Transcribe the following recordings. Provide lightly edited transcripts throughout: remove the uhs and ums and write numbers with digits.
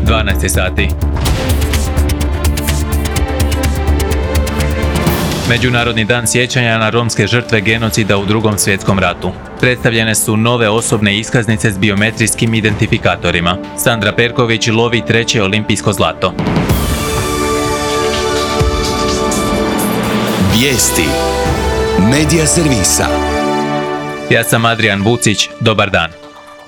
12 sati. Međunarodni dan sjećanja na romske žrtve genocida u Drugom svjetskom ratu. Predstavljene su nove osobne iskaznice s biometrijskim identifikatorima. Sandra Perković lovi 3. olimpijsko zlato. Vijesti Medija servisa. Ja sam Adrian Vucić, dobar dan.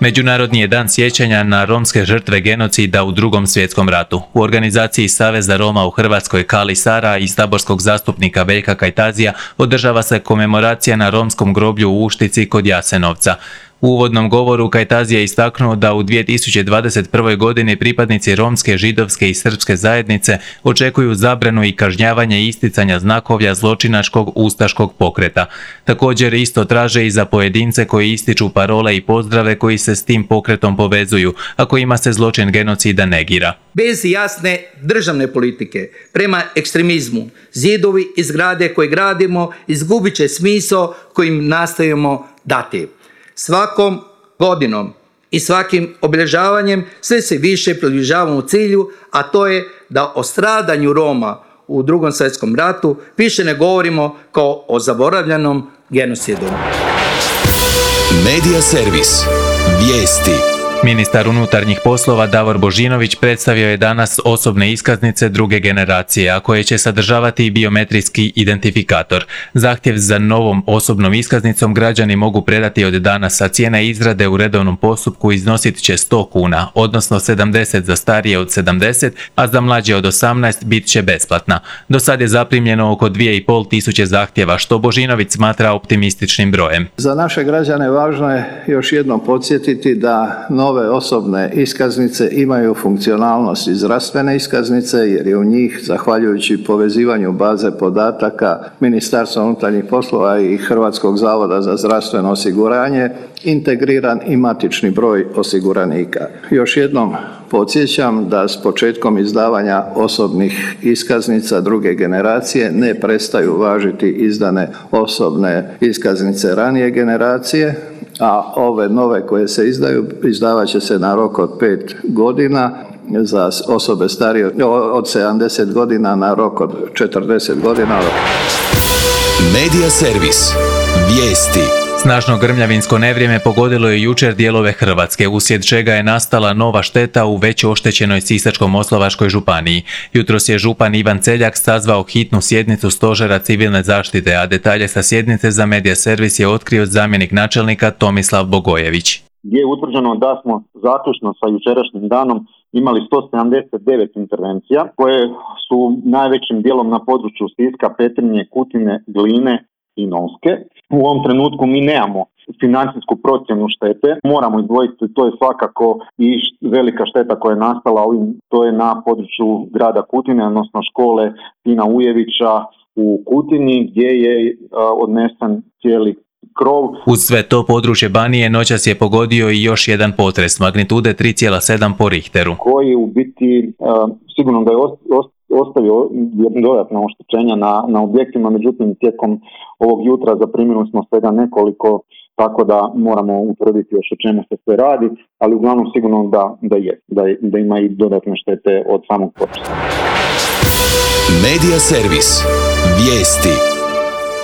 Međunarodni je dan sjećanja na romske žrtve genocida u Drugom svjetskom ratu. U organizaciji Saveza Roma u Hrvatskoj Kali Sara i saborskog zastupnika Veljka Kajtazija održava se komemoracija na romskom groblju u Uštici kod Jasenovca. U uvodnom govoru Kajtazija je istaknuo da u 2021. godini pripadnici romske, židovske i srpske zajednice očekuju zabranu i kažnjavanje isticanja znakovlja zločinačkog ustaškog pokreta. Također isto traže i za pojedince koji ističu parole i pozdrave koji se s tim pokretom povezuju, a kojima se zločin genocida negira. Bez jasne državne politike prema ekstremizmu, zidovi i zgrade koje gradimo izgubit će smisao kojim nastojimo dati. Svakom godinom i svakim obilježavanjem sve se više približavamo cilju, a to je da o stradanju Roma u Drugom svjetskom ratu više ne govorimo kao o zaboravljenom genocidu. Medija servis. Vijesti. Ministar unutarnjih poslova Davor Božinović predstavio je danas osobne iskaznice druge generacije, a koje će sadržavati i biometrijski identifikator. Zahtjev za novom osobnom iskaznicom građani mogu predati od danas, a cijena izrade u redovnom postupku iznosit će 100 kuna, odnosno 70 za starije od 70, a za mlađe od 18 bit će besplatna. Do sad je zaprimljeno oko 2500 zahtjeva, što Božinović smatra optimističnim brojem. Za naše građane važno je još jednom podsjetiti da nove osobne iskaznice imaju funkcionalnost i zdravstvene iskaznice, jer je u njih, zahvaljujući povezivanju baze podataka Ministarstva unutarnjih poslova i Hrvatskog zavoda za zdravstveno osiguranje, integriran i matični broj osiguranika. Još jednom podsjećam da s početkom izdavanja osobnih iskaznica druge generacije ne prestaju važiti izdane osobne iskaznice ranije generacije, a ove nove koje se izdavat će se na rok od 5 godina, za osobe starije od 70 godina na rok od 40 godina. Medija servis. Vijesti. Snažno grmljavinsko nevrijeme pogodilo je jučer dijelove Hrvatske, uslijed čega je nastala nova šteta u već oštećenoj Sisačko-moslavačkoj županiji. Jutros je župan Ivan Celjak sazvao hitnu sjednicu Stožera civilne zaštite, a detalje sa sjednice za Medija servis je otkrio zamjenik načelnika Tomislav Bogojević. Gdje je utvrđeno da smo zaključno sa jučerašnjim danom imali 179 intervencija koje su najvećim dijelom na području Siska, Petrinje, Kutine, Gline i Novske. U ovom trenutku mi nemamo financijsku procjenu štete, moramo izdvojiti, to je svakako i velika šteta koja je nastala to je na području grada Kutine, odnosno škole Tina Ujevića u Kutini, gdje je odnesen cijeli krov. Uz sve to područje Banije noćas je pogodio i još jedan potres magnitude 3,7 po Richteru, koji u biti sigurno da je ostavio dodatna oštećenja na objektima, međutim tijekom ovog jutra zaprimili smo svega nekoliko, tako da moramo utvrditi još o čemu se sve radi, ali uglavnom sigurno da ima i dodatne štete od samog potresa. Medija servis. Vijesti.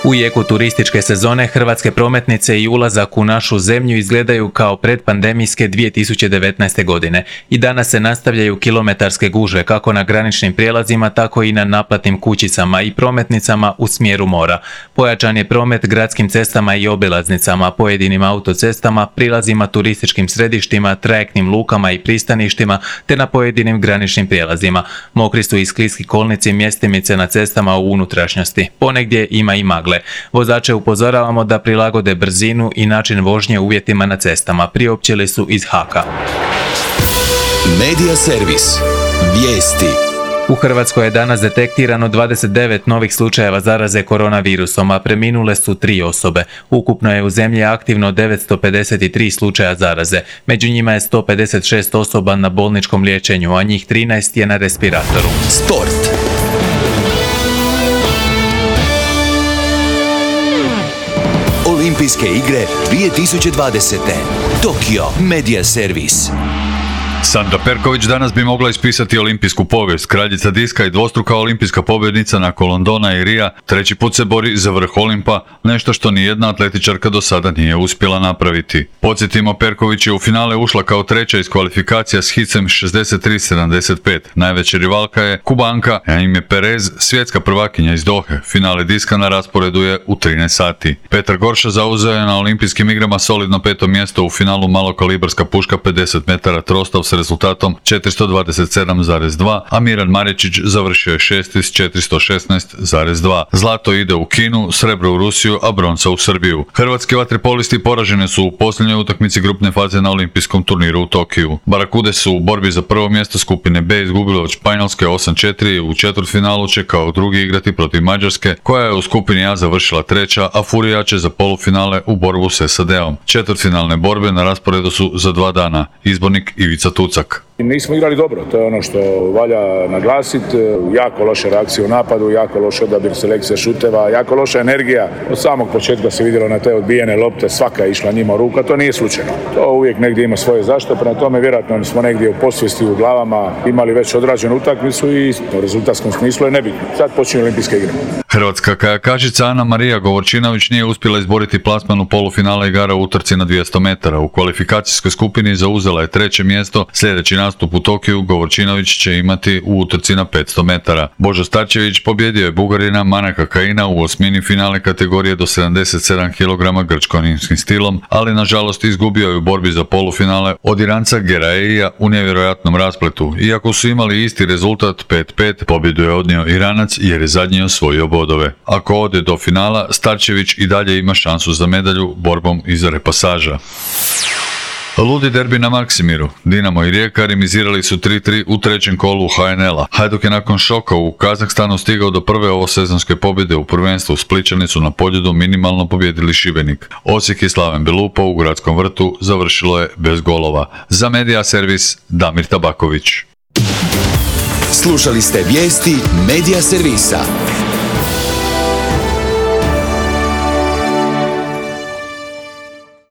U jeku turističke sezone hrvatske prometnice i ulazak u našu zemlju izgledaju kao predpandemijske 2019. godine. I danas se nastavljaju kilometarske gužve kako na graničnim prijelazima, tako i na naplatnim kućicama i prometnicama u smjeru mora. Pojačan je promet gradskim cestama i obilaznicama, pojedinim autocestama, prilazima turističkim središtima, trajektnim lukama i pristaništima, te na pojedinim graničnim prijelazima. Mokri su i skliski kolnici, mjestimice na cestama u unutrašnjosti. Ponegdje ima i magle. Vozače upozoravamo da prilagode brzinu i način vožnje uvjetima na cestama, priopćili su iz HAK-a. Medija servis. Vijesti. U Hrvatskoj je danas detektirano 29 novih slučajeva zaraze koronavirusom, a preminule su 3 osobe. Ukupno je u zemlji aktivno 953 slučaja zaraze. Među njima je 156 osoba na bolničkom liječenju, a njih 13 je na respiratoru. Sport. Olimpijske igre 2020. Tokio. Medija servis. Sandra Perković danas bi mogla ispisati olimpijsku povijest. Kraljica diska i dvostruka olimpijska pobjednica nakon Londona i Rija treći put se bori za vrh Olimpa, nešto što nijedna atletičarka do sada nije uspjela napraviti. Podsjetimo, Perković je u finale ušla kao treća iz kvalifikacija s hicem 63-75. Najveća rivalka je Kubanka Jaime Perez, svjetska prvakinja iz Dohe. Finale diska na rasporedu je u 13 sati. Petar Gorša zauzeo je na olimpijskim igrama solidno 5. mjesto u finalu malokalibarska puška 50 metara trostov s rezultatom 427,2, a Miran Maričić završio je 6. s 416,2. Zlato ide u Kinu, srebro u Rusiju, a bronca u Srbiju. Hrvatski vaterpolisti poražene su u posljednjoj utakmici grupne faze na olimpijskom turniru u Tokiju. Barakude su u borbi za prvo mjesto skupine B izgubile od Španjolske 8-4, u četvrtfinalu će kao drugi igrati protiv Mađarske, koja je u skupini A završila treća, a Furija će za polufinale u borbu s SAD-om. Četvrtfinalne borbe na rasporedu su za 2 dana. Izbornik Ivica Tucak. Nismo igrali dobro, to je ono što valja naglasiti. Jako loše reakcije u napadu, jako loš odabir selekcije šuteva, jako loša energija. Od samog početka se vidjelo na te odbijene lopte, svaka je išla njima u ruka, to nije slučajno. To uvijek negdje ima svoje zašto, prema tome vjerojatno smo negdje u podsvijesti u glavama imali već odrađenu utakmicu i u rezultatskom smislu je nebitno. Sad počinju olimpijske igre. Hrvatska kajakašica Ana Marija Govorčinović nije uspjela izboriti plasman u polufinale igara u utrci na 200 metara. U kvalifikacijskoj skupini zauzela je 3. mjesto. Sljedeći nastup u Tokiju Govorčinović će imati u utrci na 500 metara. Božo Starčević pobjedio je Bugarina Manaka Kajina u osmini finale kategorije do 77 kg grčko-rimskim stilom, ali nažalost izgubio je u borbi za polufinale od Iranca Geraeija u nevjerojatnom raspletu. Iako su imali isti rezultat 5-5, pobjedu je odnio Iranac jer je zadnji osvojio bodove. Ako ode do finala, Starčević i dalje ima šansu za medalju borbom iza repasaža. Ludi derbi na Maksimiru. Dinamo i Rijeka remizirali su 3-3 u trećem kolu HNL-a. Hajduk je nakon šoka u Kazahstanu stigao do prve ovosezonske pobjede u prvenstvu. Splićani su na Poljudu minimalno pobjedili Šibenik. Osijek i Slaven Belupo u Gradskom vrtu završilo je bez golova. Za Medija servis Damir Tabaković. Slušali ste vijesti Medija servisa.